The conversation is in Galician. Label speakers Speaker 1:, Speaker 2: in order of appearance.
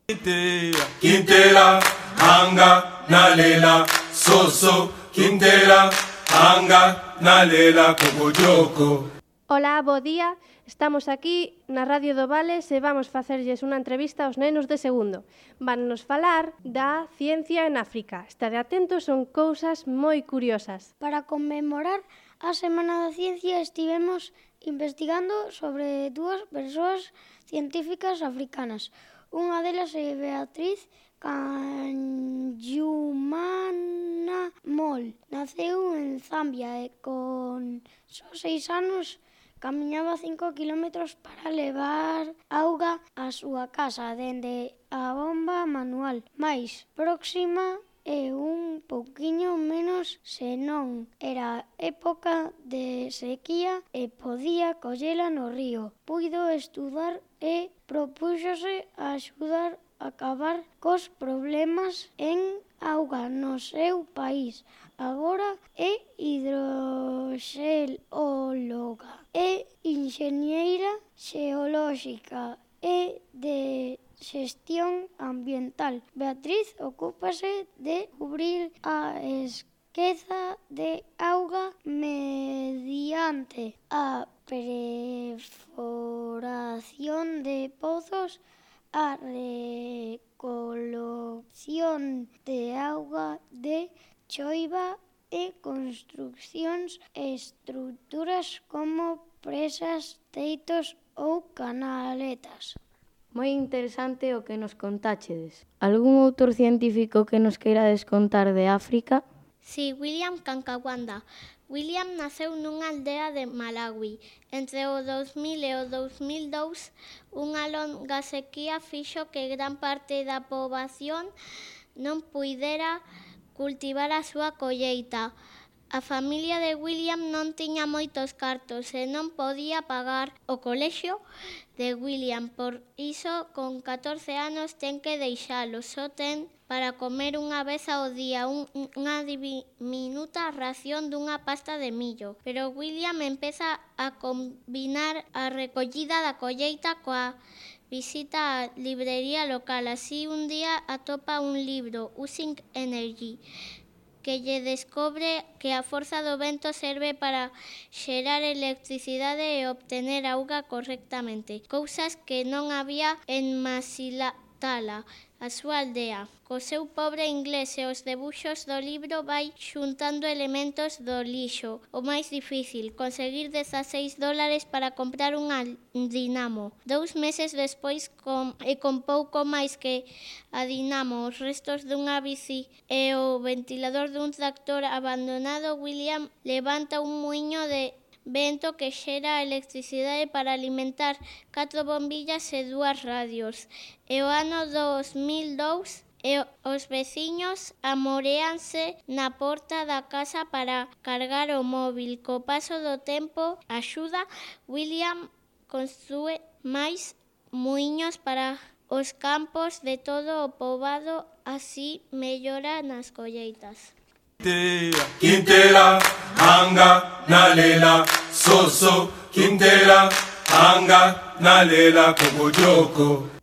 Speaker 1: Quintela, anga, nalela, soso, quintela, anga, nalela, cocoyoco.
Speaker 2: Ola, bo día. Estamos aquí na Radio do Vales e vamos facerlles unha entrevista aos nenos de segundo. Van nos falar da ciencia en África. Estade atentos, son cousas moi curiosas.
Speaker 3: Para conmemorar a Semana da Ciencia estivemos investigando sobre dúas persoas científicas africanas. Unha delas é Beatriz Kanyumana Mol. Naceu en Zambia e con só 6 anos camiñaba 5 kilómetros para levar auga á súa casa dende a bomba manual. Mais próxima e un pouquiño menos se non era época de sequía e podía collela no río. Puido estudar e propúxose a axudar a acabar cos problemas en auga no seu país. Agora é hidroxeóloga e enxeñeira xeolóxica e de xestión ambiental. Beatriz ocúpase de cubrir a esqueza de auga mediante a perforación de pozos, a recolección de auga de choiva e construcións e estruturas como presas, teitos ou canaletas.
Speaker 4: Moi interesante o que nos contáchedes. Algún autor científico que nos queirades contar de África?
Speaker 5: Sí, William Kankawanda. William naceu nunha aldea de Malawi. Entre o 2000 e o 2002, unha longa sequía fixo que gran parte da poboación non puidera cultivar a súa colleita. A familia de William non tiña moitos cartos e non podía pagar o colexio de William. Por iso, con 14 anos, ten que deixalo. Só ten para comer unha vez ao día unha diminuta ración dunha pasta de millo. Pero William empeza a combinar a recollida da colleita coa visita á librería local. Así, un día atopa un libro, Using Energy, que lle descobre que a forza do vento serve para xerar electricidade e obtener auga correctamente, cousas que non había en Masilatala, a súa aldea. Co seu pobre inglés e os debuxos do libro vai xuntando elementos do lixo. O máis difícil, conseguir $16 para comprar unha dinamo. 2 meses despois, con pouco máis que a dinamo, os restos dunha bici e o ventilador dun tractor abandonado, William levanta un muiño de vento que xera electricidade para alimentar 4 bombillas e 2 radios. E o ano 2002 e os veciños amoréanse na porta da casa para cargar o móvil. Co paso do tempo, axuda, William construe máis muiños para os campos de todo o poboado, así mellora nas colleitas.
Speaker 1: Quintela, anga, nalela, soso, quintela, anga, nalela, cocoyoco.